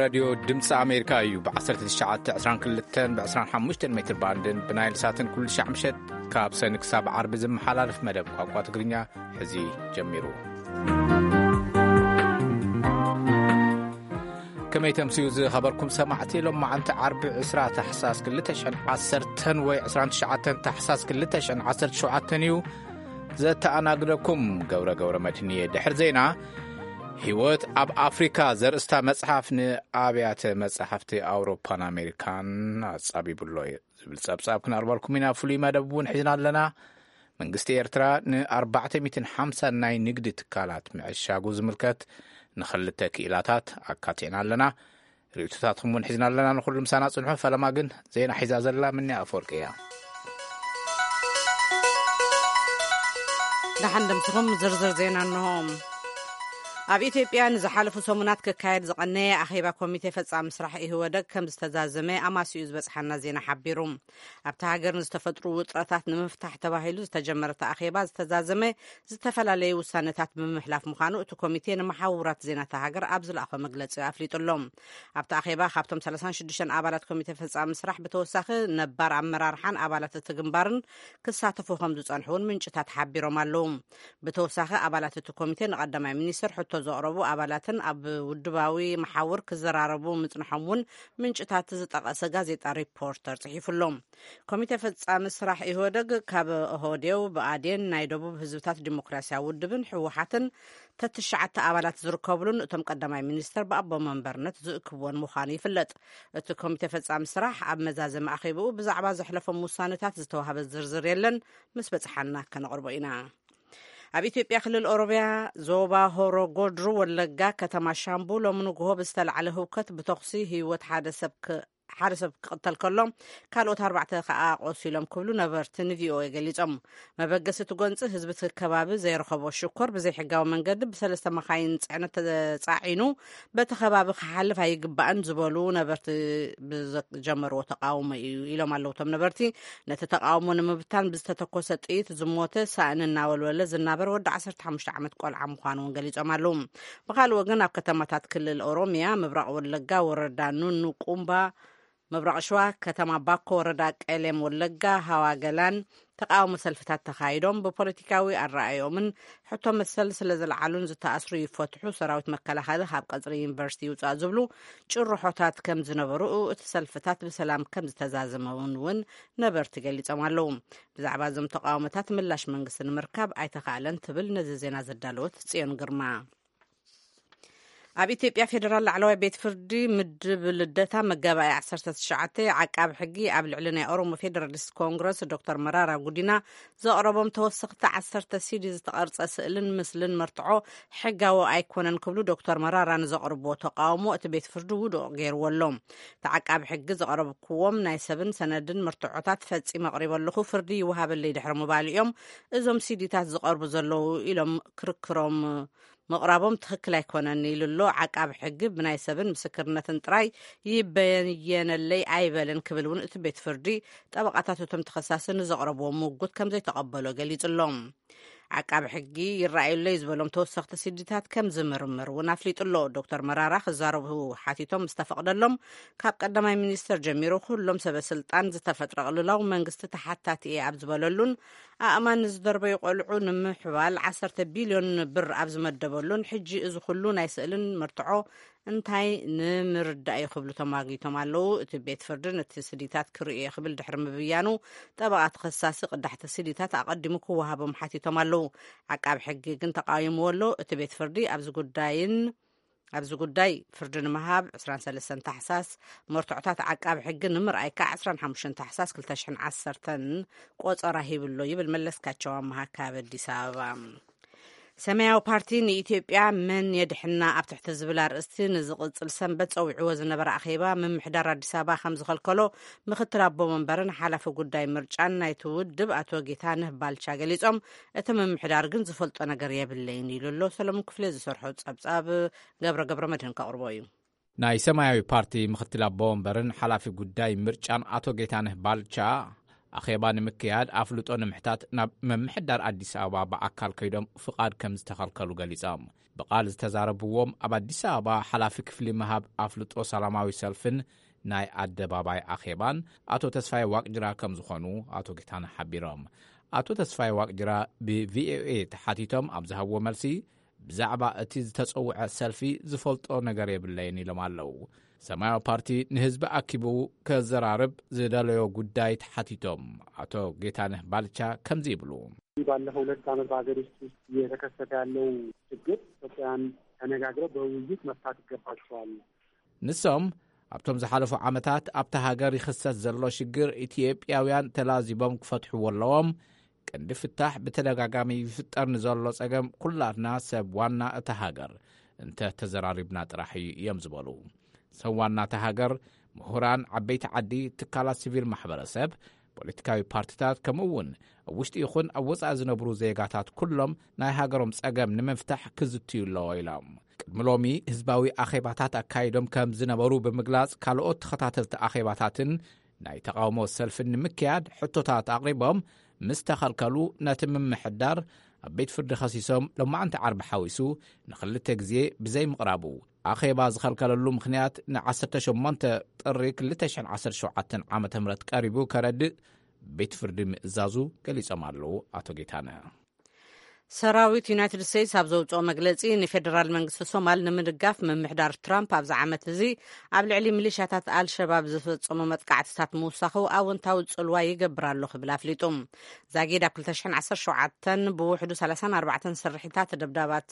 ራድዮ ድምፂ ኣሜሪካ እዩ። ብ1922 ብ25 ሜትር ባንድን ብናይል ሳትን ኩሉ ሻዕ ምሸት ካብ ሰኒ ክሳብ ዓርቢ ዝመሓላለፍ መደብ ቋንቋ ትግርኛ ሕዚ ጀሚሩ። ከመይ ተምስዩ ዝኸበርኩም ሰማዕቲ፣ ሎም መዓንቲ ዓርቢ ዕስራ ታሕሳስ ክልተ ሽሕን ዓሰርተን ወይ ዕስራን ትሽዓተን ታሕሳስ ክልተ ሽሕን ዓሰርተ ሸውዓተን እዩ። ዘተኣናግደኩም ገብረ ገብረ መድህን እየ። ድሕሪ ዜና፣ ህይወት ኣብ ኣፍሪካ ዘርእስታ መጽሓፍ ንኣብያተ መጽሓፍቲ ኣውሮፓን ኣሜሪካን ኣጻቢብሎ እዩ ዝብል ጸብጻብ ክነቕርበልኩም ኢና። ፍሉይ መደብ እውን ሒዝና ኣለና። መንግስቲ ኤርትራ ን450 ናይ ንግዲ ትካላት ምዕሻጉ ዝምልከት ንኽልተ ክኢላታት ኣካቲዕና ኣለና። ርእይቶታትኩም እውን ሒዝና ኣለና። ንኹሉ ምሳና ጽንሑ። ፈለማ ግን ዜና ሒዛ ዘላ ምንያ ኣፈወርቂ እያ። ደሓን ደምስኹም። ዝርዝር ዜና እንሆ። ኣብ ኢትዮጵያ ንዝሓለፉ ሰሙናት ክካየድ ዝቐነየ ኣኼባ ኮሚቴ ፈጻሚ ስራሕ ኢህወደግ ከም ዝተዛዘመ ኣማስዩ ዝበጽሓና ዜና ሓቢሩ። ኣብታ ሃገር ንዝተፈጥሩ ውጥረታት ንምፍታሕ ተባሂሉ ዝተጀመረ እቲ ኣኼባ ዝተዛዘመ ዝተፈላለዩ ውሳነታት ብምምሕላፍ ምዃኑ እቲ ኮሚቴ ንመሓውራት ዜና እታ ሃገር ኣብ ዝለኣኾ መግለጺ ኣፍሊጡ ኣሎ። ኣብቲ ኣኼባ ካብቶም 36 ኣባላት ኮሚቴ ፈጻሚ ስራሕ ብተወሳኺ ነባር ኣመራርሓን ኣባላት እቲ ግንባርን ክሳተፉ ከም ዝጸንሑ እውን ምንጭታት ሓቢሮም ኣለዉ። ብተወሳኺ ኣባላት እቲ ኮሚቴ ንቀዳማይ ሚኒስትር ሕቶ ዘቕረቡ ኣባላትን ኣብ ውድባዊ መሓውር ክዘራረቡ ምጽንሖም እውን ምንጭታት ዝጠቐሰ ጋዜጣ ሪፖርተር ጽሒፉ ኣሎ። ኮሚቴ ፈጻሚ ስራሕ ኢህወደግ ካብ ኦህዴው፣ ብኣዴን፣ ናይ ደቡብ ህዝብታት ዲሞክራሲያዊ ውድብን ህወሓትን ተትሽዓተ ኣባላት ዝርከብሉን እቶም ቀዳማይ ሚኒስትር ብኣቦ መንበርነት ዝእክብዎን ምዃኑ ይፍለጥ። እቲ ኮሚቴ ፈጻሚ ስራሕ ኣብ መዛዘሚ ኣኼብኡ ብዛዕባ ዘሕለፎም ውሳነታት ዝተዋህበ ዝርዝር የለን። ምስ በጽሓና ከነቕርቦ ኢና። ኣብ ኢትዮጵያ ክልል ኦሮሚያ ዞባ ሆሮ ጎድሩ ወለጋ ከተማ ሻምቡ ሎሚ ንግሆ ብዝተላዕለ ህውከት ብተኹሲ ህይወት ሓደ ሰብ ክ- ሓደ ሰብ ክቕተል ከሎ ካልኦት ኣርባዕተ ከኣ ቆሲሎም ክብሉ ነበርቲ ንቪኦኤ ገሊጾም። መበገሲ እቲ ጎንፂ ህዝቢ እቲ ከባቢ ዘይረኸቦ ሽኮር ብዘይሕጋዊ መንገዲ ብሰለስተ መኻይን ፅዕነት ተፃዒኑ በቲ ከባቢ ክሓልፍ ኣይግባእን ዝበሉ ነበርቲ ብዘጀመርዎ ተቃውሞ እዩ ኢሎም ኣለዉ። እቶም ነበርቲ ነቲ ተቃውሞ ንምብታን ብዝተተኮሰ ጥይት ዝሞተ ሳእኒ እናወልወለ ዝናበር ወዲ 15 ዓመት ቆልዓ ምዃኑ እውን ገሊጾም ኣለዉ። ብኻልእ ወገን ኣብ ከተማታት ክልል ኦሮሚያ ምብራቕ ወለጋ ወረዳ ኑኑ ቁምባ፣ ምብራቕ ሸዋ ከተማ ባኮ ወረዳ ቀሌም ወለጋ ሃዋ ገላን ተቃውሞ ሰልፍታት ተኻይዶም ብፖለቲካዊ ኣረኣዮምን ሕቶ መሰል ስለ ዝለዓሉን ዝተኣስሩ ይፈትሑ፣ ሰራዊት መከላኸሊ ካብ ቀጽሪ ዩኒቨርሲቲ ይውጻእ ዝብሉ ጭርሖታት ከም ዝነበሩ እቲ ሰልፍታት ብሰላም ከም ዝተዛዘመውን እውን ነበርቲ ገሊጾም ኣለዉ። ብዛዕባ እዞም ተቃውሞታት ምላሽ መንግስቲ ንምርካብ ኣይተኻእለን ትብል ነዚ ዜና ዘዳለወት ጽዮን ግርማ። ኣብ ኢትዮጵያ ፌዴራል ላዕለዋይ ቤት ፍርዲ ምድብ ልደታ መጋባእያ 19 ዓቃቢ ሕጊ ኣብ ልዕሊ ናይ ኦሮሞ ፌዴራሊስት ኮንግረስ ዶክተር መራራ ጉዲና ዘቕረቦም ተወሰኽቲ 10 ሲዲ ዝተቐርጸ ስእልን ምስልን መርትዖ ሕጋዊ ኣይኮነን ክብሉ ዶክተር መራራ ንዘቕርብዎ ተቃውሞ እቲ ቤት ፍርዲ ውዱቕ ገይርዎ ኣሎ። እቲ ዓቃቢ ሕጊ ዘቕረብክዎም ናይ ሰብን ሰነድን መርትዖታት ፈጺመ ኣቕሪበ ኣለኹ፣ ፍርዲ ይወሃበለይ ድሕሪ ምባሉ እዮም እዞም ሲዲታት ዝቐርቡ ዘለዉ ኢሎም ክርክሮም ምቕራቦም ትኽክል ኣይኮነን ኢሉ ኣሎ። ዓቃቢ ሕጊ ብናይ ሰብን ምስክርነትን ጥራይ ይበየነለይ ኣይበለን ክብል እውን እቲ ቤት ፍርዲ ጠበቓታት እቶም ተኸሳሲ ንዘቕረብዎ ምውጉት ከም ዘይተቐበሎ ገሊጹ ኣሎ። ዓቃቢ ሕጊ ይረኣዩለይ ዝበሎም ተወሰኽቲ ሲዲታት ከም ዝምርምር እውን ኣፍሊጡ ኣሎ። ዶክተር መራራ ክዛረቡ ሓቲቶም ምስ ተፈቕደሎም ካብ ቀዳማይ ሚኒስትር ጀሚሩ ኩሎም ሰበ ስልጣን ዝተፈጥረ ቅልውላው መንግስቲ ተሓታቲ እየ ኣብ ዝበለሉን ኣእማን ንዝደርበዩ ቆልዑ ንምሕባል 10 ቢልዮን ብር ኣብ ዝመደበሉን ሕጂ እዚ ኩሉ ናይ ስእልን መርትዖ እንታይ ንምርዳእ እዩ ክብሉ ተማጊቶም ኣለዉ። እቲ ቤት ፍርዲ ነቲ ስዲታት ክርእዮ ክብል ድሕሪ ምብያኑ ጠበቓ ተኸሳሲ ቅዳሕቲ ስዲታት ኣቐዲሙ ክወሃቦም ሓቲቶም ኣለዉ። ዓቃቢ ሕጊ ግን ተቃዊምዎ ኣሎ። እቲ ቤት ፍርዲ ኣብዚ ጉዳይን ኣብዚ ጉዳይ ፍርዲ ንምሃብ 23 ታሕሳስ፣ መርትዖታት ዓቃቢ ሕጊ ንምርኣይ ከዓ 25 ታሕሳስ 2010 ቆጸራ ሂብሎ ይብል መለስካቸው ኣመሃ ካብ ኣዲስ ኣበባ። ሰማያዊ ፓርቲ ንኢትዮጵያ መን የድሕና ኣብ ትሕቲ ዝብል ኣርእስቲ ንዝቕጽል ሰንበት ጸዊዕዎ ዝነበረ ኣኼባ ምምሕዳር ኣዲስ ኣበባ ከም ዝኸልከሎ ምክትል ኣቦ መንበርን ሓላፊ ጉዳይ ምርጫን ናይቲ ውድብ ኣቶ ጌታነህ ባልቻ ገሊጾም፣ እቲ ምምሕዳር ግን ዝፈልጦ ነገር የብለይን ኢሉ ኣሎ። ሰለሙን ክፍሌ ዝሰርሖ ጸብጻብ ገብረ ገብረ መድህን ከቕርቦ እዩ። ናይ ሰማያዊ ፓርቲ ምክትል ኣቦ ወንበርን ሓላፊ ጉዳይ ምርጫን ኣቶ ጌታነህ ባልቻ ኣኼባ ንምክያድ ኣፍልጦ ንምሕታት ናብ ምምሕዳር ኣዲስ ኣበባ ብኣካል ከይዶም ፍቓድ ከም ዝተኸልከሉ ገሊጾም። ብቓል ዝተዛረብዎም ኣብ ኣዲስ ኣበባ ሓላፊ ክፍሊ ምሃብ ኣፍልጦ ሰላማዊ ሰልፍን ናይ ኣደባባይ ኣኼባን ኣቶ ተስፋይ ዋቅጅራ ከም ዝኾኑ ኣቶ ጌታነህ ሓቢሮም። ኣቶ ተስፋይ ዋቅጅራ ብቪኦኤ ተሓቲቶም ኣብ ዝሃብዎ መልሲ፣ ብዛዕባ እቲ ዝተጸውዐ ሰልፊ ዝፈልጦ ነገር የብለይን ኢሎም ኣለዉ። ሰማያዊ ፓርቲ ንህዝቢ ኣኪቡ ከዘራርብ ዝደለዮ ጉዳይ ተሓቲቶም ኣቶ ጌታነህ ባልቻ ከምዚ ይብሉ። ባለፈው ሁለት ዓመት በሀገር ውስጥ ውስጥ እየተከሰተ ያለው ችግር ኢትዮጵያን ተነጋግረው በውይይት መፍታት ይገባቸዋል። ንሶም ኣብቶም ዝሓለፉ ዓመታት ኣብታ ሃገር ይኽሰት ዘሎ ሽግር ኢትዮጵያውያን ተላዚቦም ክፈትሕዎ ኣለዎም። ቀንዲ ፍታሕ ብተደጋጋሚ ይፍጠር ንዘሎ ጸገም ኩላትና ሰብ ዋና እታ ሃገር እንተ ተዘራሪብና ጥራሕ እዩ እዮም ዝበሉ። ሰብ ዋና እታ ሃገር፣ ምሁራን፣ ዓበይቲ ዓዲ፣ ትካላት ሲቪል ማሕበረሰብ፣ ፖለቲካዊ ፓርቲታት፣ ከምኡ እውን ኣብ ውሽጢ ይኹን ኣብ ወጻኢ ዝነብሩ ዜጋታት ኩሎም ናይ ሃገሮም ጸገም ንምፍታሕ ክዝትዩ ኣለዎ ኢሎም። ቅድሚ ሎሚ ህዝባዊ ኣኼባታት ኣካይዶም ከም ዝነበሩ ብምግላጽ፣ ካልኦት ተኸታተልቲ ኣኼባታትን ናይ ተቓውሞ ሰልፍን ንምክያድ ሕቶታት ኣቕሪቦም ምስ ተኸልከሉ፣ ነቲ ምምሕዳር ኣብ ቤት ፍርዲ ከሲሶም፣ ሎማዕንቲ ዓርቢ ሓዊሱ ንኽልተ ግዜ ብዘይምቕራቡ፣ ኣኼባ ዝኸልከለሉ ምኽንያት ን ዓሰርተ ሸሞንተ ጥሪ ክልተ ሽሕን ዓሰርተ ሸውዓተን ዓመተ ምህረት ቀሪቡ ከረድእ ቤት ፍርዲ ምእዛዙ ገሊጾም ኣለዉ ኣቶ ጌታነህ። ሰራዊት ዩናይትድ ስቴትስ ኣብ ዘውፅኦ መግለፂ፣ ንፌደራል መንግስቲ ሶማል ንምድጋፍ ምምሕዳር ትራምፕ ኣብዚ ዓመት እዚ ኣብ ልዕሊ ሚሊሻታት ኣልሸባብ ዝፈፀሞ መጥቃዕትታት ምውሳኹ ኣወንታዊ ፅልዋ ይገብር ኣሎ ክብል ኣፍሊጡ። ዛጊድ ኣብ ክልተ ሽሕን ዓሰርተ ሸውዓተን ብውሕዱ ሰላሳን ኣርባዕተን ስርሒታት ደብዳባት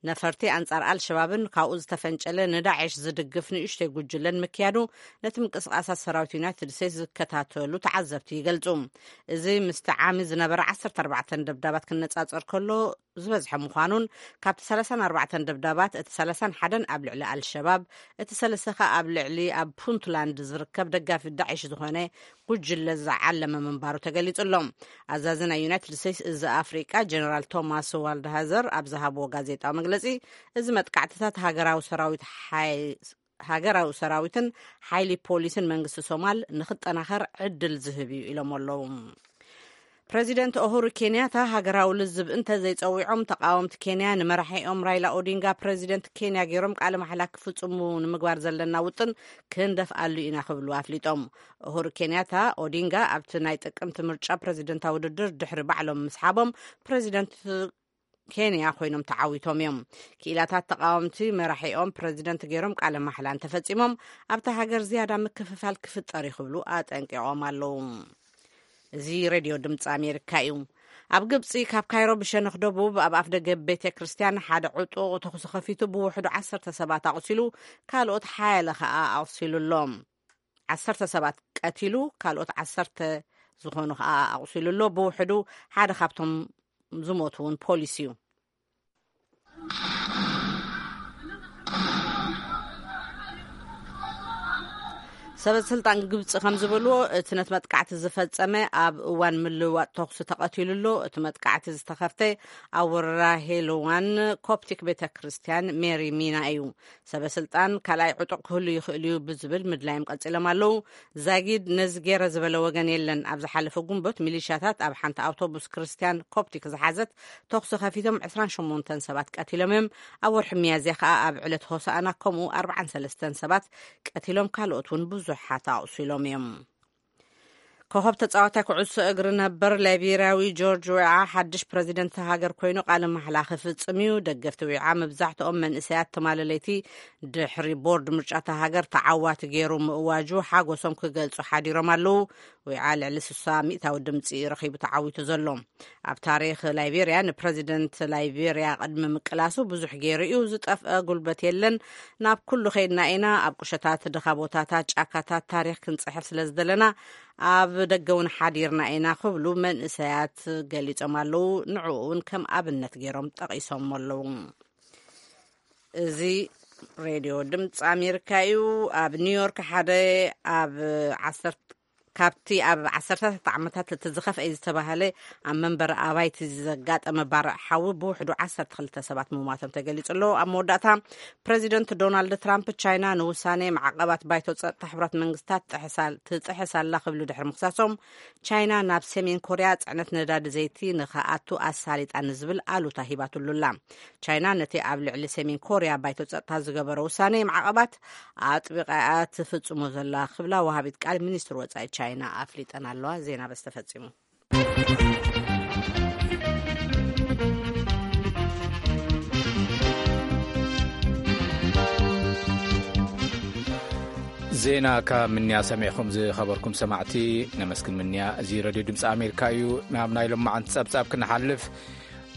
ነፈርቲ ኣንጻር ኣልሸባብን ካብኡ ዝተፈንጨለ ንዳዕሽ ዝድግፍ ንእሽተይ ጉጅለን ምክያዱ ነቲ ምንቅስቓሳት ሰራዊት ዩናይትድ ስቴትስ ዝከታተሉ ተዓዘብቲ ይገልጹ። እዚ ምስቲ ዓሚ ዝነበረ ዓሰርተ ኣርባዕተን ደብዳባት ክነጻጸር ከሎ ዝበዝሐ ምዃኑን፣ ካብቲ ሰላሳን ኣርባዕተን ደብዳባት እቲ ሰላሳን ሓደን ኣብ ልዕሊ ኣልሸባብ፣ እቲ ሰለስተ ከኣ ኣብ ልዕሊ ኣብ ፑንትላንድ ዝርከብ ደጋፊ ዳዕሽ ዝኾነ ጉጅለ ዝዓለመ ምንባሩ ተገሊጹ ኣሎ። ኣዛዚ ናይ ዩናይትድ ስቴትስ እዚ ኣፍሪቃ ጀነራል ቶማስ ዋልድሃዘር ኣብ ዝሃብዎ ጋዜጣዊ መግለጺ፣ እዚ መጥቃዕትታት ሃገራዊ ሰራዊት ሓይ-፣ ሃገራዊ ሰራዊትን ሓይሊ ፖሊስን መንግስቲ ሶማል ንኽጠናኸር ዕድል ዝህብ እዩ ኢሎም ኣለዉ። ፕረዚደንት ኡሁሩ ኬንያታ ሃገራዊ ልዝብ እንተ ዘይጸዊዖም፣ ተቃወምቲ ኬንያ ንመራሒኦም ራይላ ኦዲንጋ ፕረዚደንት ኬንያ ገይሮም ቃለ ማሕላ ክፍጽሙ ንምግባር ዘለና ውጥን ክንደፍኣሉ ኢና ክብሉ ኣፍሊጦም። ኡሁሩ ኬንያታ ኦዲንጋ ኣብቲ ናይ ጥቅምቲ ምርጫ ፕረዚደንታዊ ውድድር ድሕሪ ባዕሎም ምስሓቦም ፕረዚደንት ኬንያ ኮይኖም ተዓዊቶም እዮም። ክኢላታት ተቃወምቲ መራሒኦም ፕረዚደንት ገይሮም ቃለ ማሕላ እንተፈጺሞም ኣብታ ሃገር ዝያዳ ምክፍፋል ክፍጠር እዩ ክብሉ ኣጠንቂቖም ኣለዉ። እዚ ሬድዮ ድምፂ ኣሜሪካ እዩ። ኣብ ግብፂ ካብ ካይሮ ብሸነኽ ደቡብ ኣብ ኣፍ ደገ ቤተ ክርስቲያን ሓደ ዕጡቕ ተኹሲ ከፊቱ ብውሕዱ ዓሰርተ ሰባት ኣቑሲሉ ካልኦት ሓያለ ከኣ ኣቑሲሉ ኣሎ። ዓሰርተ ሰባት ቀቲሉ ካልኦት ዓሰርተ ዝኾኑ ከኣ ኣቑሲሉ ኣሎ። ብውሕዱ ሓደ ካብቶም ዝሞቱ እውን ፖሊስ እዩ። ሰበ ስልጣን ግብፂ ከም ዝበልዎ፣ እቲ ነቲ መጥቃዕቲ ዝፈጸመ ኣብ እዋን ምልውዋጥ ተኹሲ ተቐቲሉ ኣሎ። እቲ መጥቃዕቲ ዝተኸፍተ ኣብ ወረዳ ሄልዋን ኮፕቲክ ቤተ ክርስቲያን ሜሪ ሚና እዩ። ሰበ ስልጣን ካልኣይ ዕጡቕ ክህሉ ይኽእል እዩ ብዝብል ምድላዮም ቀጺሎም ኣለዉ። ዛጊድ ነዚ ገይረ ዝበለ ወገን የለን። ኣብ ዝሓለፈ ጉንበት ሚሊሻታት ኣብ ሓንቲ ኣውቶቡስ ክርስቲያን ኮፕቲክ ዝሓዘት ተኹሲ ከፊቶም ዕስራን ሸሞንተን ሰባት ቀቲሎም እዮም። ኣብ ወርሒ ሚያዝያ ከኣ ኣብ ዕለት ሆሳእና ከምኡ ኣርባዓን ሰለስተን ሰባት ቀቲሎም፣ ካልኦት እውን ብዙሓት ኣቑሲሎም እዮም። ኮኸብ ተጻዋታይ ኩዕሶ እግሪ ነበር ላይቤርያዊ ጆርጅ ዊዓ ሓድሽ ፕረዚደንት እታ ሃገር ኮይኑ ቃለ ማሕላ ክፍጽም እዩ። ደገፍቲ ዊዓ፣ መብዛሕትኦም መንእሰያት፣ ትማሊ ለይቲ ድሕሪ ቦርድ ምርጫ እታ ሃገር ተዓዋቲ ገይሩ ምእዋጁ ሓጎሶም ክገልጹ ሓዲሮም ኣለዉ። ዊዓ ልዕሊ ስሳ ሚእታዊ ድምጺ ረኺቡ ተዓዊቱ ዘሎ። ኣብ ታሪኽ ላይቤርያ ንፕረዚደንት ላይቤርያ ቅድሚ ምቅላሱ ብዙሕ ገይሩ እዩ። ዝጠፍአ ጉልበት የለን። ናብ ኩሉ ከይድና ኢና። ኣብ ቁሸታት፣ ድኻ ቦታታት፣ ጫካታት ታሪኽ ክንጽሕፍ ስለ ዝደለና ኣብ ደገ እውን ሓዲርና ኢና ክብሉ መንእሰያት ገሊጾም ኣለዉ። ንዕኡ እውን ከም ኣብነት ገይሮም ጠቒሶም ኣለዉ። እዚ ሬድዮ ድምፂ ኣሜሪካ እዩ። ኣብ ኒውዮርክ ሓደ ኣብ ዓሰርተ ካብቲ ኣብ ዓሰርታት ዓመታት እቲ ዝኸፍአ ዝተባህለ ኣብ መንበሪ ኣባይቲ ዘጋጠመ ባርዕ ሓዊ ብውሕዱ ዓሰርተ ክልተ ሰባት ምሟቶም ተገሊጹ ኣሎ። ኣብ መወዳእታ ፕረዚደንት ዶናልድ ትራምፕ ቻይና ንውሳኔ ማዕቐባት ባይቶ ጸጥታ ሕቡራት መንግስታት ጥሕሳ-፣ ትጥሕስ ኣላ ክብሉ ድሕሪ ምኽሳሶም፣ ቻይና ናብ ሰሜን ኮርያ ጽዕነት ነዳዲ ዘይቲ ንኸኣቱ ኣሳሊጣ ንዝብል ኣሉታ ሂባትሉ ኣላ። ቻይና ነቲ ኣብ ልዕሊ ሰሜን ኮርያ ባይቶ ጸጥታ ዝገበረ ውሳኔ ማዕቐባት ኣጥቢቓ እያ ትፍጽሞ ዘላ ክብላ ወሃቢት ቃል ሚኒስትሪ ወጻኢ ቻይና ኣፍሊጠን ኣለዋ። ዜና በዚ ተፈጺሙ። ዜና ካብ ምንያ ሰሚዕኹም ዝኸበርኩም ሰማዕቲ ነመስግን ምንያ። እዚ ሬድዮ ድምፂ ኣሜሪካ እዩ። ናብ ናይ ሎማዓንቲ ጸብጻብ ክንሓልፍ፣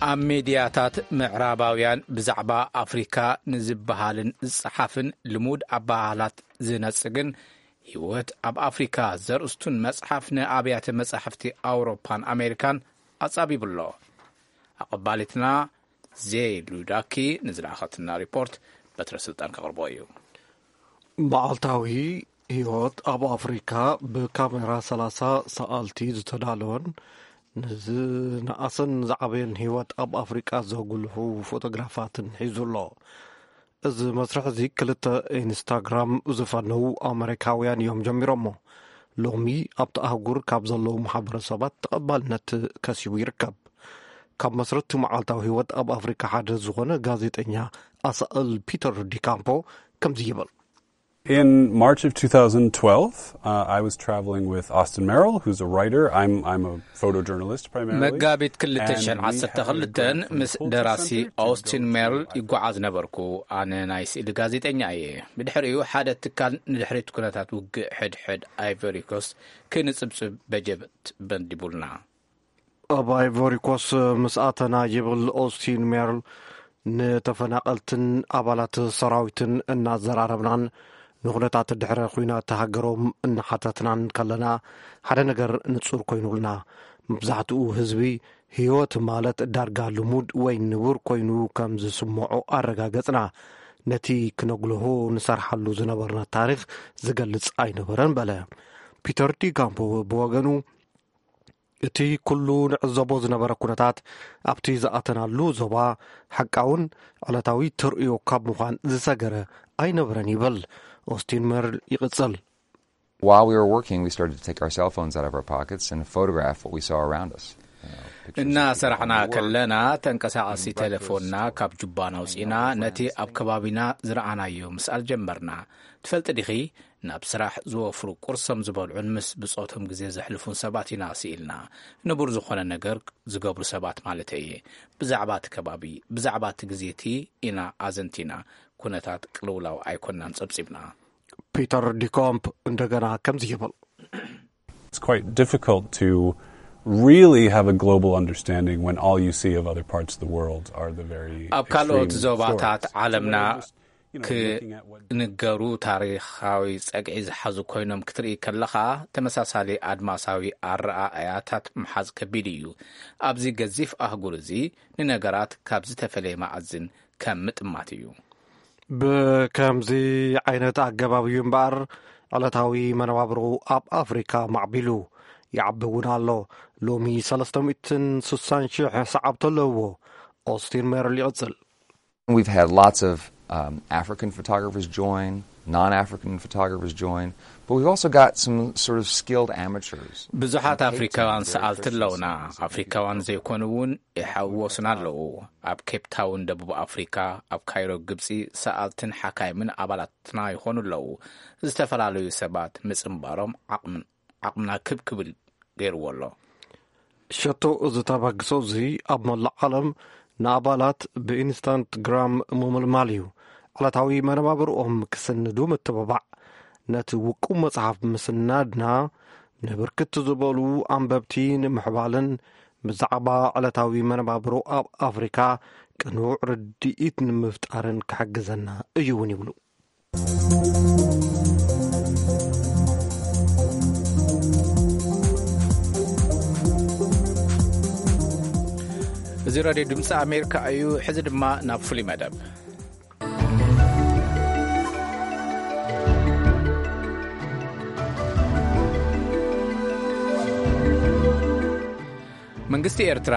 ኣብ ሜድያታት ምዕራባውያን ብዛዕባ ኣፍሪካ ንዝበሃልን ዝጸሓፍን ልሙድ ኣበሃህላት ዝነጽግን ህይወት ኣብ ኣፍሪካ ዘርእስቱን መጽሓፍ ንኣብያተ መጻሕፍቲ ኣውሮፓን ኣሜሪካን ኣጻቢቡ ኣሎ። ኣቐባሊትና ዜይ ሉዳኪ ንዝለኣኸትና ሪፖርት በትረ ስልጣን ከቕርቦ እዩ። መዓልታዊ ህይወት ኣብ ኣፍሪካ ብካሜራ ሰላሳ ሰኣልቲ ዝተዳለወን ንዝነኣሰን ዝዓበየን ህይወት ኣብ ኣፍሪቃ ዘጉልሑ ፎቶግራፋትን ሒዙ ኣሎ። እዚ መስርሕ እዚ ክልተ ኢንስታግራም ዝፈነዉ ኣመሪካውያን እዮም ጀሚሮሞ። ሎሚ ኣብቲ ኣህጉር ካብ ዘለዉ ማሕበረሰባት ተቐባልነት ከሲቡ ይርከብ። ካብ መስረቲ መዓልታዊ ህይወት ኣብ ኣፍሪካ ሓደ ዝኾነ ጋዜጠኛ ኣሳእል ፒተር ዲካምፖ ከምዚ ይብል። In March of two thousand twelve, uh, I was traveling with Austin Merrill, who's a writer. I'm, I'm a photojournalist primarily. መጋቢት ክልተ ሽሕን ዓሰርተ ክልተን ምስ ደራሲ ኦስቲን ሜርል ይጓዓዝ ነበርኩ። ኣነ ናይ ስእሊ ጋዜጠኛ እየ። ብድሕሪኡ ሓደ ትካል ንድሕሪት ኩነታት ውግእ ሕድሕድ ኣይቨሪ ኮስት ክንጽብጽብ በጀት መዲቡልና። ኣብ ኣይቮሪኮስ ምስ ኣተና ይብል ኦስቲን ሜርል፣ ንተፈናቐልትን ኣባላት ሰራዊትን እናዘራረብናን ንኹነታት ድሕረ ኲናት ሃገሮም እናሓተትናን ከለና ሓደ ነገር ንጹር ኮይኑልና። መብዛሕትኡ ህዝቢ ህይወት ማለት ዳርጋ ልሙድ ወይ ንቡር ኮይኑ ከም ዝስምዖ ኣረጋገጽና። ነቲ ክነጉልሆ ንሰርሓሉ ዝነበርና ታሪኽ ዝገልጽ ኣይነበረን በለ። ፒተር ዲካምፖ ብወገኑ እቲ ኩሉ ንዕዘቦ ዝነበረ ኩነታት ኣብቲ ዝኣተናሉ ዞባ ሓቃውን ዕለታዊ ተርእዮ ካብ ምዃን ዝሰገረ ኣይነበረን ይብል። ኦስቲን መርል ይቕጽል። While we were working, we started to take our cell phones out of our pockets and photograph what we saw around us. You know, pictures of እናሰራሕና people ከለና ተንቀሳቐሲ ቴሌፎንና ካብ ጁባና ኣውፂና ነቲ ኣብ ከባቢና ዝረኣናዮ ምስኣል ጀመርና። ትፈልጢ ዲኺ፣ ናብ ስራሕ ዝወፍሩ ቁርሶም ዝበልዑን ምስ ብጾቶም ግዜ ዘሕልፉን ሰባት ኢና ስኢልና። ንቡር ዝኾነ ነገር ዝገብሩ ሰባት ማለተይ እየ። ብዛዕባ እቲ ከባቢ፣ ብዛዕባ እቲ ግዜ እቲ ኢና ኣዘንቲና። ኩነታት ቅልውላው ኣይኮናን ጸብጺብና። ፒተር ዲኮምፕ እንደገና ከምዚ ይብል። It's quite difficult to really have a global understanding when all you see of other parts of the world are the very ኣብ ካልኦት ዞባታት ዓለምና ክንገሩ ታሪኻዊ ጸግዒ ዝሓዙ ኮይኖም ክትርኢ ከለኻ፣ ተመሳሳሊ ኣድማሳዊ ኣረኣእያታት ምሓዝ ከቢድ እዩ። ኣብዚ ገዚፍ ኣህጉር እዚ ንነገራት ካብ ዝተፈለየ መኣዝን ከም ምጥማት እዩ። ብከምዚ ዓይነት ኣገባብ እዩ እምበኣር ዕለታዊ መነባብሮ ኣብ ኣፍሪካ ማዕቢሉ ይዓቢ እውን ኣሎ። ሎሚ ሰለስተ ሚእትን ስሳን ሽሕ ሰዓብቲ ኣለውዎ። ኦስቲን ሜርል ይቕጽል። We've had lots of um, African photographers join, non African photographers join, but we've also got some sort of skilled amateurs. ብዙሓት ኣፍሪካውያን ሰኣልቲ ኣለውና። ኣፍሪካውያን ዘይኮኑ እውን ይሓወሱና ኣለዉ። ኣብ ኬፕ ታውን ደቡብ ኣፍሪካ፣ ኣብ ካይሮ ግብፂ፣ ሰኣልትን ሓካይምን ኣባላትና ይኾኑ ኣለዉ። ዝተፈላለዩ ሰባት ምፅምባሮም ዓቕምና ክብ ክብል ገይርዎ ኣሎ። ሸቶ እዚ ተበግሶ እዚ ኣብ መላእ ዓለም ንኣባላት ብኢንስታንትግራም ምምልማል እዩ። ዕለታዊ መነባብርኦም ክስንዱ ምትብባዕ። ነቲ ውቁብ መጽሓፍ ምስናድና ንብርክት ዝበሉ ኣንበብቲ ንምሕባልን ብዛዕባ ዕለታዊ መነባብሮ ኣብ ኣፍሪካ ቅኑዕ ርድኢት ንምፍጣርን ክሕግዘና እዩ እውን ይብሉ። እዚ ራድዮ ድምፂ ኣሜሪካ እዩ። ሕዚ ድማ ናብ ፍሉይ መደብ። መንግስቲ ኤርትራ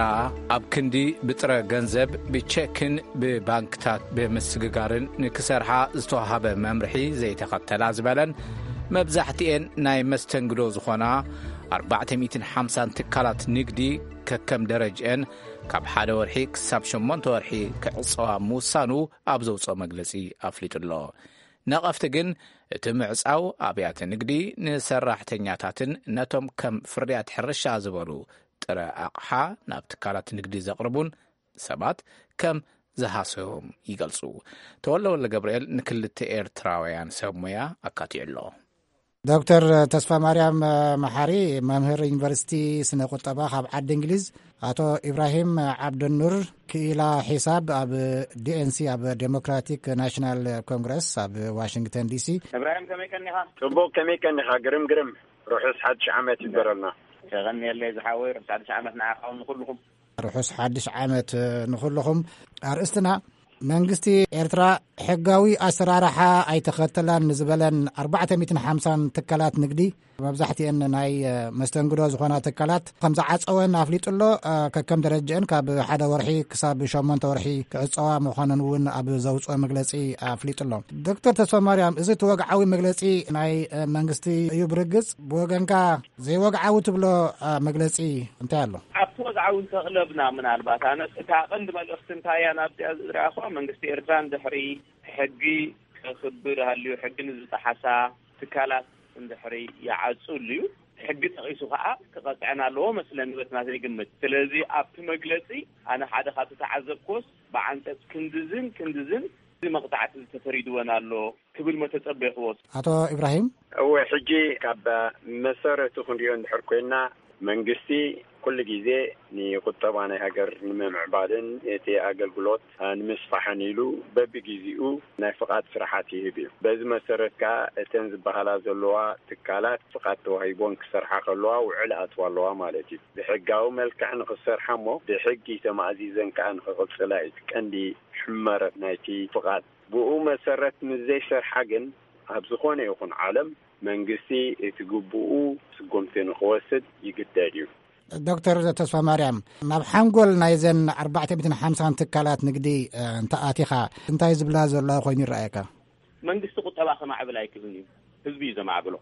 ኣብ ክንዲ ብጥረ ገንዘብ፣ ብቸክን ብባንክታት ብምስግጋርን ንክሰርሓ ዝተዋሃበ መምርሒ ዘይተኸተላ ዝበለን፣ መብዛሕትኤን ናይ መስተንግዶ ዝኾና ኣርባዕተ ሚእትን ሓምሳን ትካላት ንግዲ፣ ከከም ደረጅአን ካብ ሓደ ወርሒ ክሳብ ሸሞንተ ወርሒ ክዕጸዋ ምውሳኑ ኣብ ዘውጽኦ መግለጺ ኣፍሊጡ ኣሎ። ነቐፍቲ ግን፣ እቲ ምዕጻው ኣብያተ ንግዲ ንሰራሕተኛታትን ነቶም ከም ፍርያት ሕርሻ ዝበሉ ጥረ ኣቕሓ ናብ ትካላት ንግዲ ዘቕርቡን ሰባት ከም ዝሃሰዮም ይገልጹ። ተወልደ ወልደ ገብርኤል ንክልተ ኤርትራውያን ሰብ ሞያ ኣካትዑ ኣሎ። ዶክተር ተስፋ ማርያም መሓሪ፣ መምህር ዩኒቨርሲቲ ስነ ቁጠባ ካብ ዓዲ እንግሊዝ፣ ኣቶ ኢብራሂም ዓብደኑር፣ ክኢላ ሒሳብ ኣብ ዲኤንሲ፣ ኣብ ዴሞክራቲክ ናሽናል ኮንግረስ ኣብ ዋሽንግተን ዲሲ። እብራሂም፣ ከመይ ቀኒኻ? ጽቡቕ፣ ከመይ ቀኒኻ? ግርም፣ ግርም። ርሑስ ሓድሽ ዓመት ይበረልና። የቐንየለይ ዝሓወይ፣ ርሑስ ሓድሽ ዓመት ንዓኻ እውን ንኹልኹም። ርሑስ ሓድሽ ዓመት ንኹልኹም። ኣርእስትና፣ መንግስቲ ኤርትራ ሕጋዊ ኣሰራርሓ ኣይተኸተላን ንዝበለን ኣርባዕተ ሚእትን ሓምሳን ትካላት ንግዲ፣ መብዛሕትኤን ናይ መስተንግዶ ዝኾና ትካላት ከም ዝዓጸወን ኣፍሊጡ ኣሎ። ከከም ደረጃአን ካብ ሓደ ወርሒ ክሳብ ሸሞንተ ወርሒ ክዕጸዋ ምዃነን እውን ኣብ ዘውጽኦ መግለጺ ኣፍሊጡ ኣሎ። ዶክተር ተስፋ ማርያም፣ እዚ እቲ ወግዓዊ መግለጺ ናይ መንግስቲ እዩ። ብርግጽ ብወገንካ ዘይወግዓዊ ትብሎ መግለጺ እንታይ ኣሎ? ኣብቲ ወግዓዊ እንተቕለብና፣ ምናልባት ኣነስ እታ ቀንዲ መልእኽቲ እንታይ እያ ናብዚኣ ዝረኣኹዋ፣ መንግስቲ ኤርትራ እንድሕሪ ሕጊ ከኽብር ሃልዩ፣ ሕጊ ንዝጠሓሳ ትካላት እንድሕሪ ይዓጹ ኣልዩ፣ ሕጊ ጠቒሱ ከኣ ክቐጽዐን ኣለዎ መስለኒ፣ በቲ ናተይ ግምት። ስለዚ ኣብቲ መግለጺ ኣነ ሓደ ካብ ዝተዓዘብኩዎስ፣ ብዓንቀጽ ክንድዝን ክንድዝን መቕጻዕቲ ዝተፈሪድወን ኣሎ ክብል መተጸበይክዎ። ኣቶ ኢብራሂም? እወ፣ ሕጂ ካብ መሰረቱ ክንሪኦ እንድሕር ኮይና፣ መንግስቲ ኩሉ ግዜ ንቁጠባ ናይ ሃገር ንምምዕባልን እቲ ኣገልግሎት ንምስፋሕን ኢሉ በብግዜኡ ናይ ፍቓድ ስራሓት ይህብ እዩ። በዚ መሰረት ከኣ እተን ዝበሃላ ዘለዋ ትካላት ፍቓድ ተዋሂቦን ክሰርሓ ከለዋ ውዕል ኣትዋ ኣለዋ ማለት እዩ። ብሕጋዊ መልክዕ ንኽሰርሓ እሞ ብሕጊ ተማእዚዘን ከኣ ንኽቕጽላ እዩ እቲ ቀንዲ ሕመረት ናይቲ ፍቓድ። ብኡ መሰረት ምስ ዘይሰርሓ ግን ኣብ ዝኾነ ይኹን ዓለም መንግስቲ እቲ ግቡኡ ስጉምቲ ንኽወስድ ይግደድ እዩ። ዶክተር ተስፋ ማርያም፣ ናብ ሓንጎል ናይዘን ኣርባዕተ ሚእትን ሓምሳን ትካላት ንግዲ፣ እ፣ እንተ ኣቲኻ፣ እንታይ ዝብላ ዘለዋ ኮይኑ ይረኣየካ? መንግስቲ ቁጠባ ከማዕብል ኣይክእልን እዩ። ህዝቢ እዩ ዘማዕብሎ።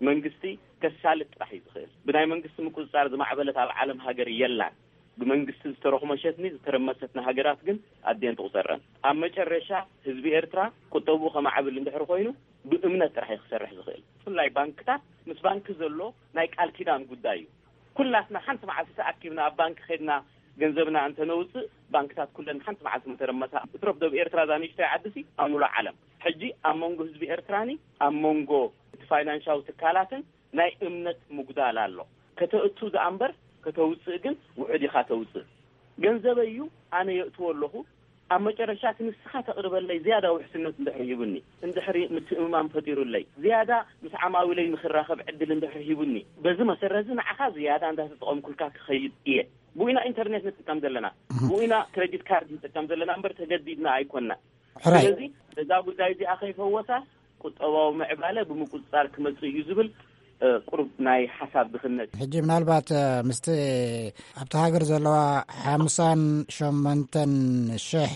መንግስቲ ከሳልጥ ጥራሕ እዩ ዝኽእል። ብናይ መንግስቲ ምቁጽጻር ዝማዕበለት ኣብ ዓለም ሃገር የላን። ብመንግስቲ ዝተረኹመሸትኒ ዝተረመሰትኒ ሃገራት ግን ኣድየን ትቑጸረን። ኣብ መጨረሻ ህዝቢ ኤርትራ ቁጠብኡ ከማዕብል እንድሕር ኮይኑ ብእምነት ጥራሕ እዩ ክሰርሕ ዝኽእል። ብፍላይ ባንክታት፣ ምስ ባንኪ ዘሎ ናይ ቃል ኪዳን ጉዳይ እዩ። ኩላትና ሓንቲ መዓልቲ ተኣኪብና ኣብ ባንኪ ኸድና ገንዘብና እንተነውፅእ፣ ባንክታት ኩለን ሓንቲ መዓልቲ ምተረመሳ። እትረፍ ዶ ኣብ ኤርትራ እዛ ንእሽተይ ዓዲ ሲ ኣብ ሙሉእ ዓለም። ሕጂ ኣብ መንጎ ህዝቢ ኤርትራኒ ኣብ መንጎ እቲ ፋይናንሻዊ ትካላትን ናይ እምነት ምጉዳል ኣሎ። ከተእቱ ደኣ እምበር ከተውፅእ ግን ውሑድ ኢኻ ተውፅእ። ገንዘበይ እዩ፣ ኣነ የእትዎ ኣለኹ። ኣብ መጨረሻ እቲ ንስኻ ተቕርበለይ ዝያዳ ውሕስነት እንድሕር ሂቡኒ፣ እንድሕሪ ምትእምማን ፈጢሩለይ፣ ዝያዳ ምስ ዓማዊለይ ንኽራኸብ ዕድል እንድሕር ሂቡኒ፣ በዚ መሰረት እዚ ንዓኻ ዝያዳ እንዳተጠቐምኩልካ ክኸይድ እየ። ብኡ ኢና ኢንተርኔት ንጥቀም ዘለና፣ እህ። ብኡ ኢና ክሬዲት ካርድ ንጥቀም ዘለና እምበር ተገዲድና ኣይኮንና። ሕራይ። ስለዚ እዛ ጉዳይ እዚኣ ከይፈወሳ ቁጠባዊ ምዕባለ ብምቁጽጻር ክመጽእ እዩ ዝብል፣ እ፣ ቁሩብ ናይ ሓሳብ ድኽነት። ሕጂ ምናልባት፣ እ፣ ምስቲ ኣብቲ ሃገር ዘለዋ ሓምሳን ሸሞንተን ሽሕ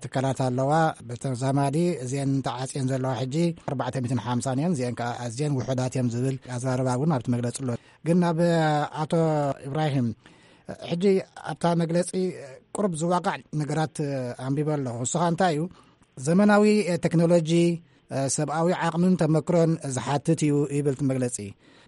ትካላት ኣለዋ። ብተዛማዲ እዚአን ተዓጽየን ዘለዋ ሕጂ ኣርባዕተ ሚእትን ሓምሳን እየን። እዚአን ከኣ ኣዝየን ውሑዳት እዮም ዝብል ኣዘራርባ እውን ኣብቲ መግለጺ ኣሎ። ግን ናብ ኣቶ ኢብራሂም፣ ሕጂ ኣብታ መግለጺ ቁሩብ ዝዋቃዕ ነገራት ኣንቢበ ኣለኹ። ንስኻ እንታይ እዩ፣ ዘመናዊ ቴክኖሎጂ ሰብኣዊ ዓቕምን ተመክሮን ዝሓትት እዩ ይብል እቲ መግለጺ።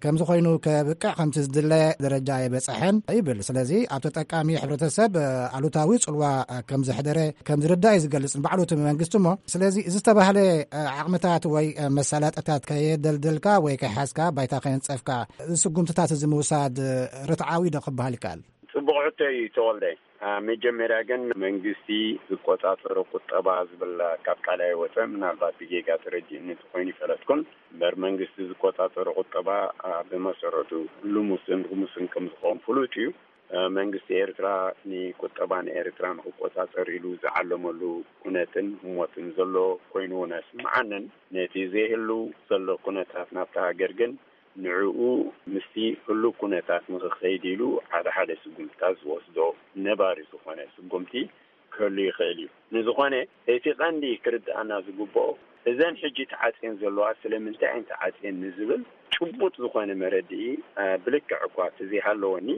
ከምዚ ኮይኑ ከብቅዕ ከምቲ ዝድለ ደረጃ ኣይበጸሐን ይብል። ስለዚ ኣብ ተጠቃሚ ሕብረተሰብ ኣሉታዊ ጽልዋ ከም ዘሕደረ ከም ዝርዳእ እዩ ዝገልጽ። ንባዕሉ እቲ መንግስቲ እሞ፣ ስለዚ እዚ ዝተባህለ ዓቕምታት ወይ መሳለጥታት ከየደልደልካ ወይ ከይሓዝካ ባይታ ከየንጸፍካ፣ እዚ ስጉምትታት እዚ ምውሳድ ርትዓዊ ዶ ክበሃል ይከኣል? ጽቡቕ ሕቶ እዩ ተወልደ። አ፣ መጀመርያ ግን መንግስቲ ዝቆጻጸሮ ቁጠባ ዝብል ካብ ቃል ኣይወጸ። ምናልባት ብጌጋ ተረዲእኒ እንተኾይኑ ይፈለጥኩን። እምበር መንግስቲ ዝቆጻጸሮ ቁጠባ፣ አ፣ ብመሰረቱ ልሙስን ርሙስን ከም ዝኸውን ፍሉጥ እዩ። አ፣ መንግስቲ ኤርትራ ንቁጠባ ንኤርትራ ንክቆጻጸር ኢሉ ዝዓለመሉ ኩነትን ህሞትን ዘሎ ኮይኑ እውን ኣይስምዓንን። ነቲ ዘይህሉ ዘሎ ኩነታት ናብታ ሃገር ግን ንዕኡ ምስቲ ህሉው ኩነታት ንኽኸይድ ኢሉ ሓደ ሓደ ስጉምትታት ዝወስዶ ነባሪ ዝኾነ ስጉምቲ ክህሉ ይኽእል እዩ። ንዝኾነ እቲ ቀንዲ ክርድኣና ዝግብኦ እዘን ሕጂ ተዓጽየን ዘለዋ ስለምንታይ እየን ተዓጽየን ንዝብል ጭቡጥ ዝኾነ መረድኢ ብልክዕ እኳ ተዘይሃለወኒ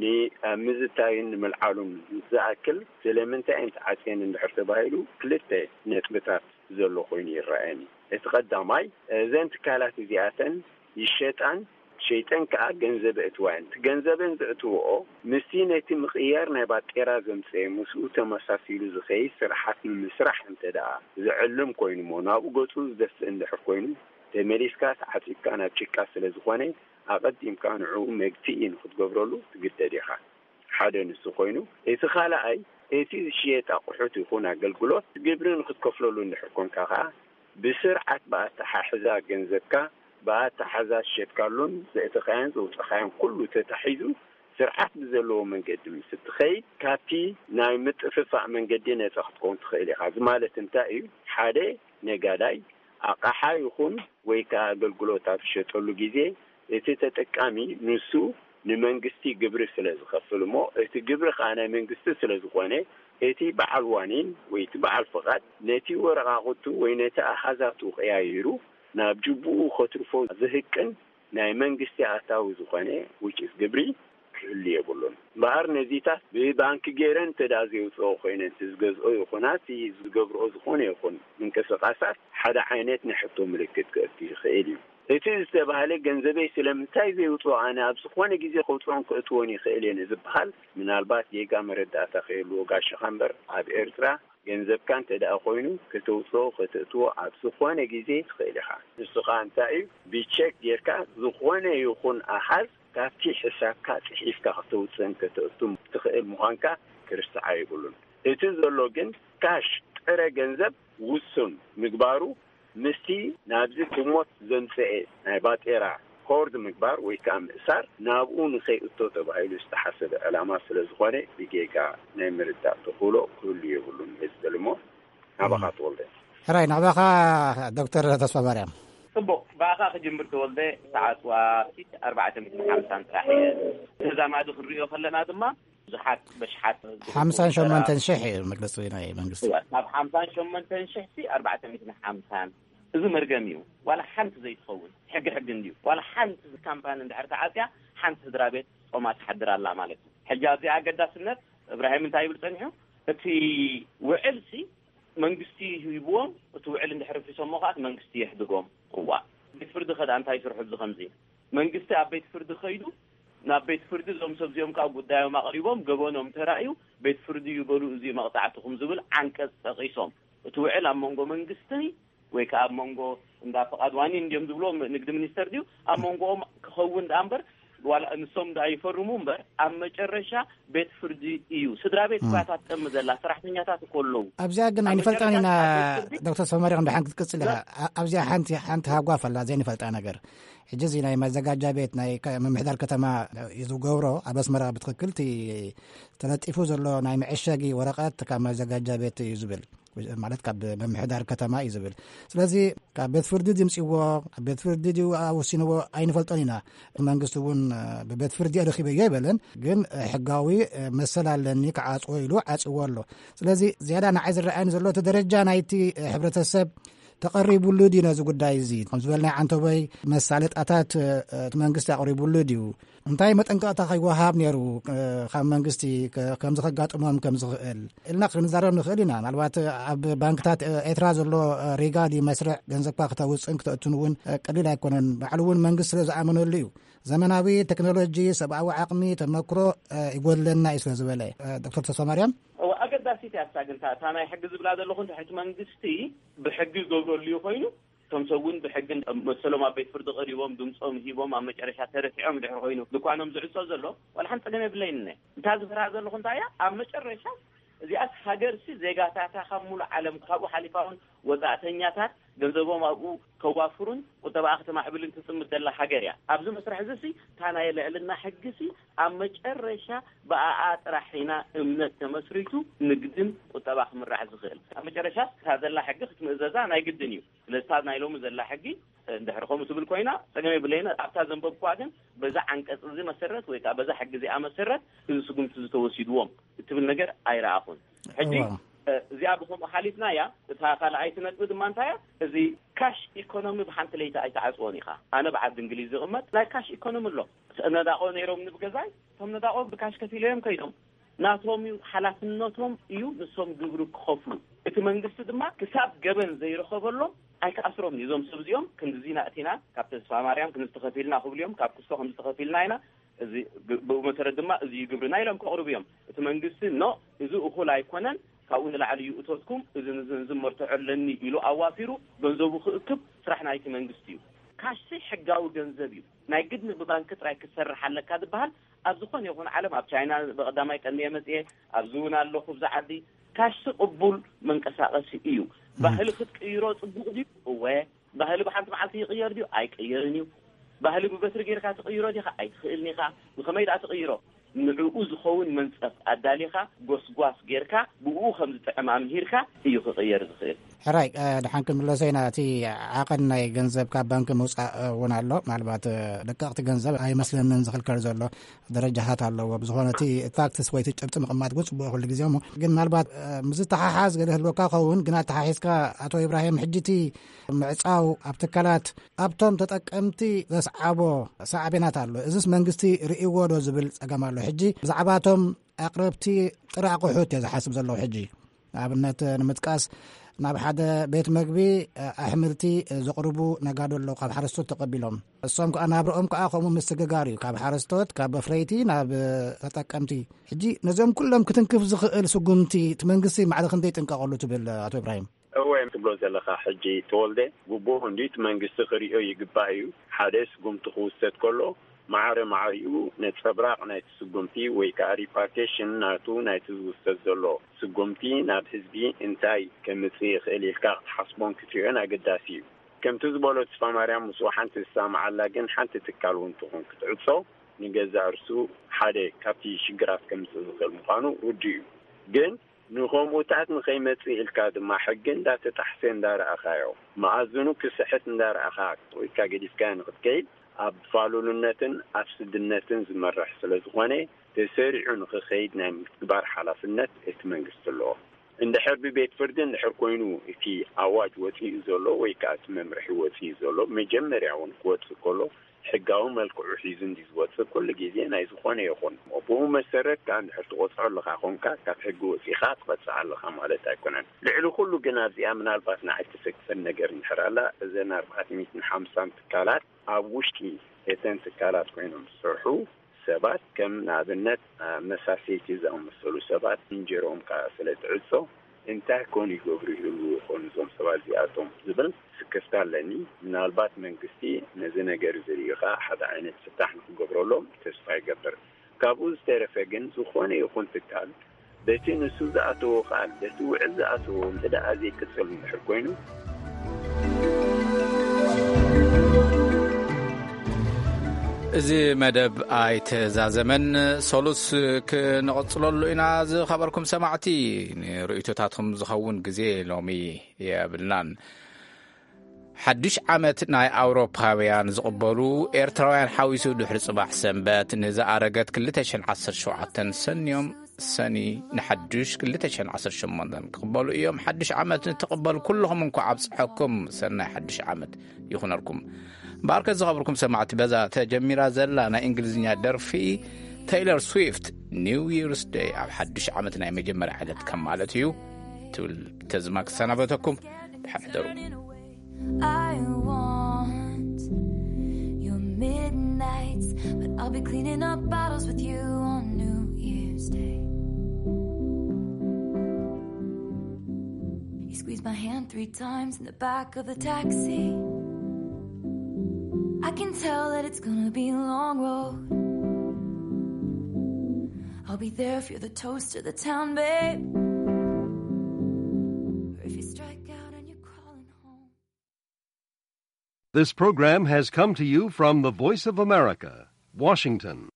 ንምዝታይን ንምልዓሉን ዝኣክል ስለምንታይ እየን ተዓጽየን እንድሕር ተባሂሉ ክልተ ነጥብታት ዘሎ ኮይኑ ይረኣየኒ። እቲ ቀዳማይ እዘን ትካላት እዚኣተን ይሸጣን ሸይጠን ከኣ ገንዘብ እእትዋየን። እቲ ገንዘበን ዘእትወኦ ምስቲ ነቲ ምቕያር ናይ ባጤራ ዘምጽኤ ምስኡ ተመሳሲሉ ዝኸይድ ስርሓት ንምስራሕ እንተ ደኣ ዝዕልም ኮይኑሞ ናብኡ ገጹ ዝደፍእ እንድሕር ኮይኑ ተመሊስካ ተዓጺብካ ናብ ጭቃ ስለ ዝኾነ ኣቐዲምካ ንዕኡ መግትኢ ንኽትገብረሉ ትግደድ ኢኻ። ሓደ ንሱ ኮይኑ እቲ ካልኣይ እቲ ዝሽየጥ ኣቑሑት ይኹን ኣገልግሎት ግብሪ ንኽትከፍለሉ እንድሕር ኮንካ ከኣ ብስርዓት ብኣተሓሕዛ ገንዘብካ ብኣተሓሕዛ ዝሸጥካሉን ዘእተኻዮን ዘውፀኻዮን ኩሉ ተታሒዙ ስርዓት ብዘለዎ መንገዲ ምስ እትኸይድ ካብቲ ናይ ምጥፍፋእ መንገዲ ነፃ ክትከውን ትኽእል ኢኻ። እዚ ማለት እንታይ እዩ? ሓደ ነጋዳይ ኣቕሓ ይኹን ወይ ከዓ ኣገልግሎት ኣብ ዝሸጠሉ ግዜ እቲ ተጠቃሚ ንሱ ንመንግስቲ ግብሪ ስለ ዝኸፍል እሞ እቲ ግብሪ ከዓ ናይ መንግስቲ ስለ ዝኾነ እቲ በዓል ዋኒን ወይ እቲ በዓል ፍቓድ ነቲ ወረቓቕቱ ወይ ነቲ ኣሃዛቱ ቀያይሩ ናብ ጅቡኡ ከትርፎ ዝህቅን ናይ መንግስቲ ኣታዊ ዝኾነ ውጭስ ግብሪ ክህሉ የብሉን። እምበኣር ነዚታት ብባንኪ ገይረን እንተ ደኣ ዘውፅኦ ኮይነን እቲ ዝገዝኦ ይኹና እቲ ዝገብርኦ ዝኾነ ይኹን ምንቅስቃሳት ሓደ ዓይነት ናይ ሕቶ ምልክት ክእቱ ይኽእል እዩ። እቲ ዝተባህለ ገንዘበይ ስለምንታይ ዘይውፅኦ ኣነ ኣብ ዝኾነ ግዜ ከውፅኦን ክእትዎን ይኽእል እየ ንዝበሃል ምናልባት ጌጋ መረዳእታ ከየልዎ ጋሻኻ እምበር ኣብ ኤርትራ ገንዘብካ እንተ ደኣ ኮይኑ ከተውፅኦ ከተእትዎ ኣብ ዝኾነ ግዜ ትኽእል ኢኻ። ንሱ ኸዓ እንታይ እዩ? ብቸክ ጌርካ ዝኾነ ይኹን ኣሃዝ ካብቲ ሕሳብካ ፅሒፍካ ከተውፅእን ከተእቱን ትኽእል ምዃንካ ክርስዓ የብሉን። እቲ ዘሎ ግን ካሽ ጥረ ገንዘብ ውሱን ምግባሩ ምስቲ ናብዚ ብሞት ዘምፀኤ ናይ ባጤራ ሆርድ ምግባር ወይ ከዓ ምእሳር ናብኡ ንኸይእቶ ተባሂሉ ዝተሓሰበ ዕላማ ስለ ዝኾነ ብጌጋ ናይ ምርዳእ ተኽእሎ ክህሉ የብሉን። መዝበል እሞ ናባኻ ተወልደ። ሕራይ ናባኻ ዶክተር ተስፋ ማርያም። ጽቡቕ፣ ብኣኻ ክጅምር ተወልደ። ተዓጽዋ ኣርባዕተ ሚእትን ሓምሳን ጥራሕ እየ። ተዛማዲ ክንሪኦ ከለና ድማ ብዙሓት በሽሓት ሓምሳን ሸሞንተን ሽሕ እዩ መግለጺ ናይ መንግስቲ። እዋ፣ ካብ ሓምሳን ሸሞንተን ሽሕ ሲ ኣርባዕተ ሚእትን ሓምሳን። እዚ መርገም እዩ። ዋላ ሓንቲ ዘይትኸውን ሕጊ ሕጊ እንድዩ። ዋላ ሓንቲ ካምፓኒ እንድሕር ተዓጽያ ሓንቲ ስድራ ቤት ጾማ ትሓድር ኣላ ማለት እዩ። ሕጂ ኣብዚኣ ኣገዳስነት እብራሂም እንታይ ይብል ጸኒሑ? እቲ ውዕል ሲ መንግስቲ ሂብዎም፣ እቲ ውዕል እንድሕር ፊሶሞ ከኣ እቲ መንግስቲ የሕድጎም። እዋ፣ ቤት ፍርዲ ከ ደኣ እንታይ ይስርሑ? እዚ ከምዚ መንግስቲ ኣብ ቤት ፍርዲ ከይዱ ናብ ቤት ፍርዲ እዞም ሰብ እዚኦም ካብ ጉዳዮም ኣቕሪቦም ገበኖም ተራእዩ ቤት ፍርዲ ይበሉ እዚ መቕጻዕትኹም ዝብል ዓንቀጽ ጠቒሶም እቲ ውዕል ኣብ መንጎ መንግስቲ ወይ ከዓ ኣብ መንጎ እንዳ ፍቓድ ዋኒ እንዲዮም ዝብልዎም ንግዲ ሚኒስተር ድዩ ኣብ መንጎኦም ክኸውን ደኣ እምበር ዋላ ንሶም ደኣ ይፈርሙ እምበር ኣብ መጨረሻ ቤት ፍርዲ እዩ። ስድራ ቤት እኳ እታ ትጠሚ ዘላ ሰራሕተኛታት እኮ ኣለዉ። ኣብዚኣ ግን ኣብ ኣይንፈልጣን ኢና። መጨረሻ ቤት ፍርዲ ዶክተር ሰማሪቕ እንድሓን ክትቅጽል ኢኻ። ኣ- ኣብዚኣ ሓንቲ ሓንቲ ሃጓፍ ኣላ ዘይንፈልጣ ነገር። ሕጂ እዚ ናይ መዘጋጃ ቤት ናይ ከ- ምምሕዳር ከተማ እዩ ዝገብሮ። ኣብ ኣስመራ ብትኽክል እቲ ተለጢፉ ዘሎ ናይ መዐሸጊ ወረቐት ካብ መዘጋጃ ቤት እዩ ዝብል፣ ማለት ካብ ምምሕዳር ከተማ እዩ ዝብል። ስለዚ ካብ ቤት ፍርዲ ድምፅዎ፣ ኣብ ቤት ፍርዲ ድዩ ኣወሲንዎ ኣይንፈልጦን ኢና። መንግስቲ እውን ብቤት ፍርዲ ረኺበዮ ኣይበለን፣ ግን ሕጋዊ መሰል ኣለኒ ክዓፅዎ ኢሉ ዓፅዎ ኣሎ። ስለዚ ዝያዳ ንዓይ ዝረኣየኒ ዘሎ እቲ ደረጃ ናይቲ ሕብረተሰብ ተቐሪቡሉ ድዩ ነዚ ጉዳይ እዚ? ከም ዝበልናይ ዓንተቦይ መሳለጣታት እቲ መንግስቲ ኣቕሪቡሉ ድዩ? እንታይ መጠንቀቕታ ከይወሃብ ነይሩ ካብ መንግስቲ ከምዚ ከጋጥሞም ከም ዝኽእል ኢልና ክንዛረብ ንኽእል ኢና። ምናልባት ኣብ ባንክታት ኤርትራ ዘሎ ሪጋ ድዩ መስርዕ ገንዘብካ ክተውፅእን ክተእቱን እውን ቀሊል ኣይኮነን። ባዕሉ እውን መንግስቲ ስለ ዝኣመነሉ እዩ። ዘመናዊ ቴክኖሎጂ፣ ሰብኣዊ ዓቕሚ፣ ተመክሮ ይጎድለና እዩ ስለ ዝበለ ዶክተር ተስፋማርያም። እወ፣ ኣገዳሲት እያ እሳ። ግን እታ እታ ናይ ሕጊ ዝብላ ዘለኹ እንተ ሕቲ መንግስቲ ብሕጊ ይገብረሉ እዩ ኮይኑ እቶም ሰብ እውን ብሕጊ መሰሎም ኣብ ቤት ፍርዲ ቀሪቦም ድምፆም ሂቦም ኣብ መጨረሻ ተረቲዖም ድሕሪ ኮይኑ ድኳኖም ዝዕፆ ዘሎ ዋላ ሓንቲ ፀገም የብለይን። እነ እንታ ዝፈርሃ ዘለኹ እንታይ እያ ኣብ መጨረሻ እዚኣስ ሃገርሲ ዜጋታታ ካብ ሙሉእ ዓለም ካብኡ ሓሊፋ እውን ወፃእተኛታት ገንዘቦም ኣብኡ ከዋፍሩን ቁጠባኣ ከተማዕብልን ትጽምድ ዘላ ሃገር እያ። ኣብዚ መስርሕ እዚ ሲ እታ ናይ ልዕልና ሕጊ ሲ ኣብ መጨረሻ ብኣኣ ጥራሕ ኢና እምነት ተመስሪቱ ንግድን ቁጠባ ክምራሕ ዝኽእል። ኣብ መጨረሻ እታ ዘላ ሕጊ ክትምእዘዛ ናይ ግድን እዩ። ስለዚ እታ ናይ ሎሚ ዘላ ሕጊ እንድሕር ከምኡ ትብል ኮይና ጸገም የብለይን። ኣብታ ዘንበብኳ ግን በዛ ዓንቀጽ እዚ መሰረት ወይ ከዓ በዛ ሕጊ እዚኣ መሰረት እዚ ስጉምቲ ዝተወሲድዎም እትብል ነገር ኣይረኣኹን። ሕጂ እዚኣ ብከምኡ ሓሊፍና እያ። እታ ካልኣይቲ ነጥቢ ድማ እንታይ እያ? እዚ ካሽ ኢኮኖሚ ብሓንቲ ለይቲ ኣይተዓፅዎን ኢኻ። ኣነ ብዓዲ እንግሊዝ ዝቕመጥ ናይ ካሽ ኢኮኖሚ ኣሎ። ነዳቆ ነይሮም ንብገዛይ እቶም ነዳቆ ብካሽ ከፊለ እዮም ከይዶም። ናቶም እዩ፣ ሓላፍነቶም እዩ ንሶም ግብሪ ክኸፍሉ። እቲ መንግስቲ ድማ ክሳብ ገበን ዘይረኸበሎም ኣይክኣስሮም እዩ። እዞም ሰብ እዚኦም ክንድዚ ናእቲና ካብ ተስፋ ማርያም ክንዝተኸፊልና ክብሉ እዮም፣ ካብ ክስቶ ከምዝተኸፊልና ኢና። እዚ ብ- ብኡ መሰረት ድማ እዚ እዩ ግብርና ኢሎም ከቕርቡ እዮም። እቲ መንግስቲ ኖ፣ እዚ እኹል ኣይኮነን፣ ካብኡ ንላዕሊ እዩ እቶትኩም፣ እዚ ንዝን ዝመርትዖ ኣለኒ ኢሉ ኣዋፊሩ ገንዘቡ ክእክብ ስራሕ ናይቲ መንግስቲ እዩ። ካሽሲ ሕጋዊ ገንዘብ እዩ። ናይ ግድን ብባንክ ጥራይ ክትሰርሕ ኣለካ ዝበሃል ኣብ ዝኾነ ይኹን ዓለም፣ ኣብ ቻይና ብቐዳማይ ቀንየ መፅየ፣ ኣብዚ እውን ኣለኹ፣ ብዛ ዓዲ። ካሽሲ ቅቡል መንቀሳቐሲ እዩ። ባህሊ ክትቅይሮ ፅቡቕ ድዩ? እወ። ባህሊ ብሓንቲ መዓልቲ ይቕየር ድዩ? ኣይቅየርን እዩ። ባህሊ ብበትሪ ጌርካ ትቕይሮ ዲኻ? ኣይትኽእልን ኢኻ። ብኸመይ ደኣ ትቕይሮ? ንዕኡ ዝኸውን መንጸፍ ኣዳሊኻ፣ ጎስጓስ ጌርካ፣ ብኡ ከም ዝጥዕም ኣምሂርካ እዩ ክቕየር ዝኽእል። ሕራይ፣ እ፣ ደሓን ክንምለሰ ኢና። እቲ ዓቐን ናይ ገንዘብ ካብ ባንኪ ምውጻእ እውን ኣሎ። ምናልባት፣ እ፣ ደቀቕቲ ገንዘብ ኣይመስለንን ዝኽልከል ዘሎ ደረጃታት ኣለዎ። ብዝኾነ እቲ ታክስስ ወይ እቲ ጭብጢ ምቕማጥ ግን ጽቡቕ እዩ ኩሉ ግዜ እሞ። ግን ምናልባት፣ እ፣ ምስ ዝተሓሓዝ ገለ ህልወካ ኸውን፣ ግን ኣተሓሒዝካ ኣቶ ኢብራሂም፣ ሕጂ እቲ ምዕጻው ኣብ ትካላት ኣብቶም ተጠቀምቲ ዘስዓቦ ሳዕቤናት ኣሎ። እዝስ መንግስቲ ርእይዎ ዶ ዝብል ጸገም ኣሎ። ሕጂ ብዛዕባቶም ኣቕረብቲ ጥረ ኣቑሑት እየ ዝሓስብ ዘለኹ። ሕጂ ንኣብነት ንምጥቃስ፣ ናብ ሓደ ቤት መግቢ ኣሕምልቲ ዘቕርቡ ነጋዶ ኣለዉ፣ ካብ ሓረስቶት ተቐቢሎም። እሶም ከኣ ናብርኦም ከኣ ከምኡ ምስግጋር እዩ፣ ካብ ሓረስቶት፣ ካብ ኣፍረይቲ ናብ ተጠቀምቲ። ሕጂ ነዚኦም ኩሎም ክትንክፍ ዝኽእል ስጉምቲ እቲ መንግስቲ ማዕረ ክንደይ ይጥንቀቐሉ ትብል ኣቶ ኢብራሂም? እወ፣ ትብሎ ዘለኻ ሕጂ ተወልደ፣ ግቡእ እንዲ እቲ መንግስቲ ክሪኦ ይግባእ እዩ። ሓደ ስጉምቲ ክውሰድ ከሎ ማዕረ ማዕሪኡ ነጸብራቕ ናይቲ ስጉምቲ ወይ ከኣ ሪፓርኬሽን ናቱ ናይቲ ዝውሰድ ዘሎ ስጉምቲ ናብ ህዝቢ እንታይ ከምጽእ ይኽእል ኢልካ ክትሓስቦን ክትሪኦን ኣገዳሲ እዩ። ከምቲ ዝበሎ ተስፋ ማርያም ምስኡ ሓንቲ ዝሰማዓላ ግን ሓንቲ ትካል እውን ትኹን ክትዕጾ ንገዛእ ርሱ ሓደ ካብቲ ሽግራት ከምጽእ ዝኽእል ምዃኑ ርዱእ እዩ። ግን ንኸምኡታት ንኸይመጽእ ኢልካ ድማ ሕጊ እንዳተጣሕሰ እንዳረኣኻዮ፣ መኣዝኑ ክስሕት እንዳረኣኻ ወይ ከኣ ገዲፍካዮ ንኽትከይድ ኣብ ፋሉልነትን ኣብ ስድነትን ዝመርሕ ስለ ዝኾነ፣ ተሰሪዑ ንኽኸይድ ናይ ምትግባር ሓላፍነት እቲ መንግስቲ ኣለዎ። እንድሕር ብቤት ፍርዲ እንድሕር ኮይኑ እቲ ኣዋጅ ወጺኡ ዘሎ ወይ ከኣ እቲ መምርሒ ወጺኡ ዘሎ መጀመርያ እውን ክወጽእ ከሎ ሕጋዊ መልክዑ ሒዙ እንዲ ዝወጽእ ኩሉ ግዜ ናይ ዝኾነ ይኹን ብኡ መሰረት ከኣ እንድሕር ትቆጽዖ ኣለኻ ኮንካ ካብ ሕጊ ወጺኻ ትቐጽዕ ኣለኻ ማለት ኣይኮነን። ልዕሊ ኩሉ ግን ኣብዚኣ ምናልባት ንዓይ ትሰክፈን ነገር እንድሕር ኣላ እዘን ኣርባዕተ ሚእትን ሓምሳን ትካላት ኣብ ውሽጢ እተን ትካላት ኮይኖም ዝሰርሑ ሰባት ከም ንኣብነት መሳሰይቲ ዝኣመሰሉ ሰባት እንጀርኦም ከኣ ስለ ትዕጾ እንታይ ኮን ይገብሩ ይህልዉ ይኾኑ እዞም ሰባት እዚኣቶም ዝብል ስክፍታ ኣለኒ። ምናልባት መንግስቲ ነዚ ነገር እዚ ሪኡ ከኣ ሓደ ዓይነት ፍታሕ ንክገብረሎም ተስፋ ይገብር። ካብኡ ዝተረፈ ግን ዝኾነ ይኹን ትካል በቲ ንሱ ዝኣተዎ ቃል በቲ ውዕል ዝኣተዎ እንተ ደኣ ዘይቅጽል እንድሕር ኮይኑ እዚ መደብ ኣይተዛዘመን። ሰሉስ ክንቕጽለሉ ኢና። ዝኸበርኩም ሰማዕቲ፣ ንርእይቶታትኩም ዝኸውን ግዜ ሎሚ የብልናን። ሓድሽ ዓመት ናይ ኣውሮፓውያን ዝቕበሉ ኤርትራውያን ሓዊሱ ድሕሪ ጽባሕ ሰንበት ንዝኣረገት ክልተ ሽሕን ዓሰርተ ሸውዓተን ሰንዮም ሰኒ ንሓድሽ ክልተ ሽሕን ዓሰርተ ሸሞንተን ክቕበሉ እዮም። ሓድሽ ዓመት ንትቕበሉ ኩልኹም እንኳዕ ኣብጽሐኩም። ሰናይ ሓድሽ ዓመት ይኹነልኩም። እምበኣርከ ዝኸበርኩም ሰማዕቲ፣ በዛ ተጀሚራ ዘላ ናይ እንግሊዝኛ ደርፊ ተይለር ስዊፍት ኒው ይርስ ደይ ኣብ ሓድሽ ዓመት ናይ መጀመርያ ዕለት ከም ማለት እዩ ትብል ተዝማ ክሰናበተኩም። ደሓን ሕደሩ። I want your midnights, but I'll be cleaning up bottles with you on New Year's Day. He squeezed my hand three times in the back of the taxi. I can tell that it's gonna be a long road. I'll be there if you're the toast of the town, babe. Or if you strike out and you're crawling home. This program has come to you from the Voice of America, Washington.